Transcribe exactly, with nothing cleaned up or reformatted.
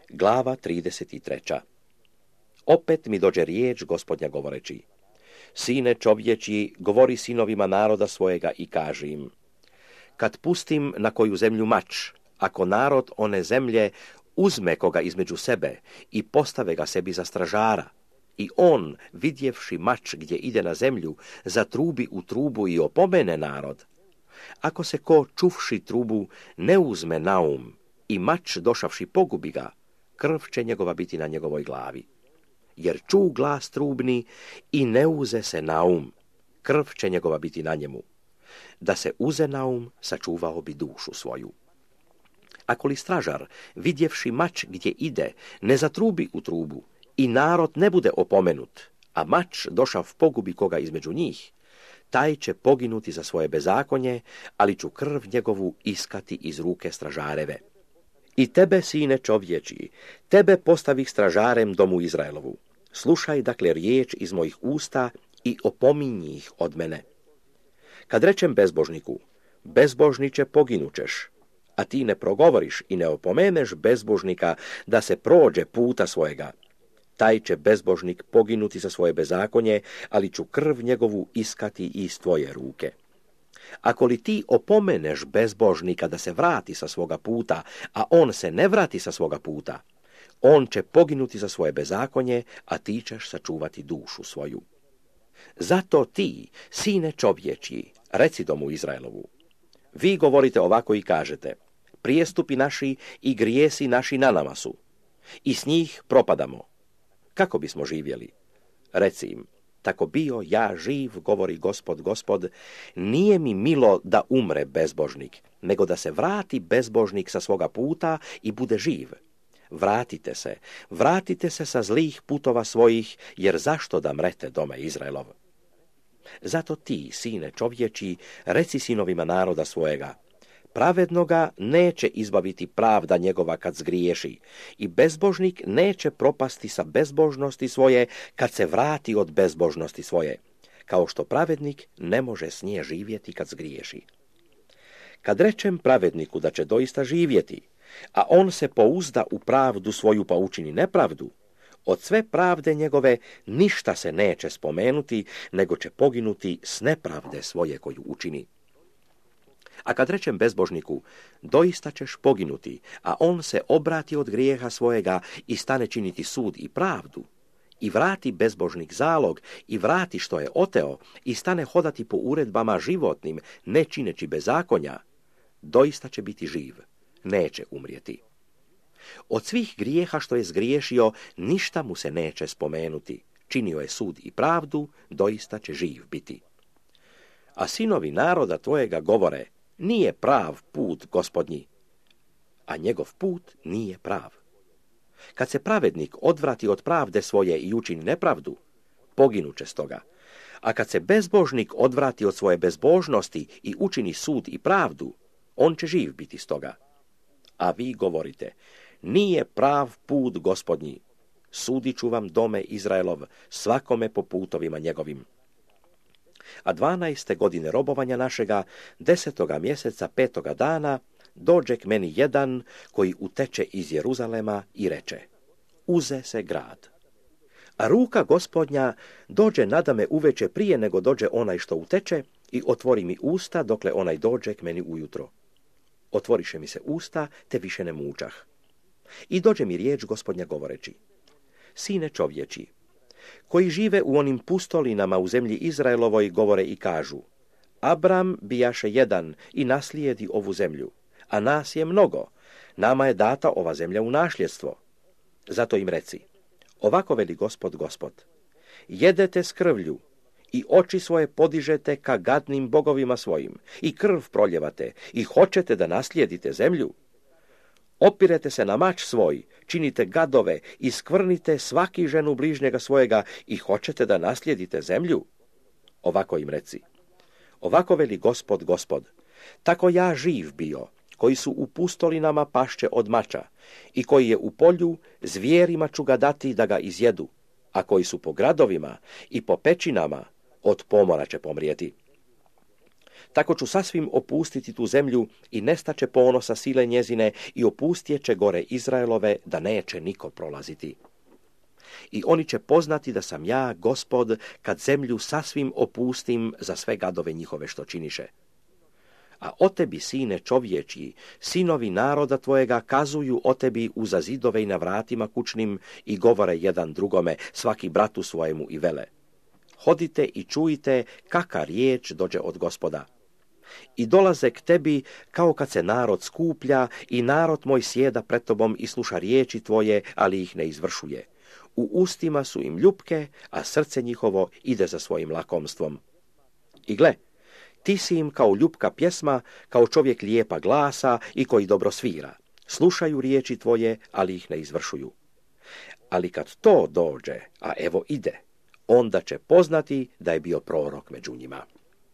Glava trideset tri. Opet mi dođe riječ Gospodnja govoreći: Sine čovječi, govori sinovima naroda svojega i kaži im: Kad pustim na koju zemlju mač, ako narod one zemlje uzme koga između sebe i postave ga sebi za stražara, i on, vidjevši mač gdje ide na zemlju, zatrubi u trubu i opomene narod, ako se ko čuvši trubu ne uzme na um i mač došavši pogubi ga, krv će njegova biti na njegovoj glavi. Jer ču glas trubni i ne uze se na um, krv će njegova biti na njemu. Da se uze na um, sačuvao bi dušu svoju. Ako li stražar, vidjevši mač gdje ide, ne zatrubi u trubu i narod ne bude opomenut, a mač došav pogubi koga između njih, taj će poginuti za svoje bezakonje, ali ću krv njegovu iskati iz ruke stražareve. I tebe, sine čovječi, tebe postavih stražarem domu Izraelovu. Slušaj dakle riječ iz mojih usta i opominji ih od mene. Kad rečem bezbožniku: bezbožniče, poginućeš, a ti ne progovoriš i ne opomeneš bezbožnika da se prođe puta svojega, taj će bezbožnik poginuti za svoje bezakonje, ali ću krv njegovu iskati iz tvoje ruke. Ako li ti opomeneš bezbožnika da se vrati sa svoga puta, a on se ne vrati sa svoga puta, on će poginuti za svoje bezakonje, a ti ćeš sačuvati dušu svoju. Zato ti, sine čovječji, reci domu Izraelovu: vi govorite ovako i kažete: prijestupi naši i grijesi naši na nama su, i s njih propadamo. Kako bismo živjeli? Reci im: tako bio ja živ, govori Gospod, Gospod, nije mi milo da umre bezbožnik, nego da se vrati bezbožnik sa svoga puta i bude živ. Vratite se, vratite se sa zlih putova svojih, jer zašto da mrete dome Izraelov? Zato ti, sine čovječi, reci sinovima naroda svojega: pravednoga neće izbaviti pravda njegova kad zgriješi, i bezbožnik neće propasti sa bezbožnosti svoje kad se vrati od bezbožnosti svoje, kao što pravednik ne može s nje živjeti kad zgriješi. Kad rečem pravedniku da će doista živjeti, a on se pouzda u pravdu svoju pa učini nepravdu, od sve pravde njegove ništa se neće spomenuti, nego će poginuti s nepravde svoje koju učini. A kad rečem bezbožniku: doista ćeš poginuti, a on se obrati od grijeha svojega i stane činiti sud i pravdu, i vrati bezbožnik zalog i vrati što je oteo i stane hodati po uredbama životnim, ne čineći bezakonja, doista će biti živ, neće umrijeti. Od svih grijeha što je zgriješio, ništa mu se neće spomenuti. Činio je sud i pravdu, doista će živ biti. A sinovi naroda tvojega govore: nije prav put Gospodnji, a njegov put nije prav. Kad se pravednik odvrati od pravde svoje i učini nepravdu, poginuće stoga. A kad se bezbožnik odvrati od svoje bezbožnosti i učini sud i pravdu, on će živ biti stoga. A vi govorite: nije prav put Gospodnji, sudit ću vam dome Izraelov, svakome po putovima njegovim. A dvanaeste godine robovanja našega, desetoga mjeseca, petoga dana, dođe k meni jedan koji uteče iz Jeruzalema i reče: uze se grad. A ruka Gospodnja dođe nadame uveče prije nego dođe onaj što uteče i otvori mi usta dokle onaj dođe k meni ujutro. Otvoriše mi se usta, te više ne mučah. I dođe mi riječ Gospodnja govoreći: sine čovječi, koji žive u onim pustolinama u zemlji Izraelovoj govore i kažu: Abram bijaše jedan i naslijedi ovu zemlju, a nas je mnogo, nama je data ova zemlja u nasljedstvo. Zato im reci: ovako veli Gospod, Gospod, jedete s krvlju i oči svoje podižete ka gadnim bogovima svojim i krv proljevate i hoćete da naslijedite zemlju. Opirete se na mač svoj, činite gadove i skvrnite svaki ženu bližnjega svojega i hoćete da naslijedite zemlju. Ovako im reci: ovako veli Gospod, Gospod, tako ja živ bio, koji su u pustolinama pašće od mača i koji je u polju, zvijerima ću ga dati da ga izjedu, a koji su po gradovima i po pećinama, od pomora će pomrijeti. Tako ću sasvim opustiti tu zemlju i nestaće ponosa sile njezine i opustjeće gore Izraelove da neće niko prolaziti. I oni će poznati da sam ja, Gospod, kad zemlju sasvim opustim za sve gadove njihove što činiše. A o tebi, sine čovječji, sinovi naroda tvojega kazuju o tebi uza zidove i na vratima kućnim i govore jedan drugome, svaki bratu svojemu i vele. Hodite i čujte kaka riječ dođe od Gospoda. I dolaze k tebi kao kad se narod skuplja i narod moj sjeda pred tobom i sluša riječi tvoje, ali ih ne izvršuje. U ustima su im ljupke, a srce njihovo ide za svojim lakomstvom. I gle, ti si im kao ljupka pjesma, kao čovjek lijepa glasa i koji dobro svira. Slušaju riječi tvoje, ali ih ne izvršuju. Ali kad to dođe, a evo ide, onda će poznati da je bio prorok među njima.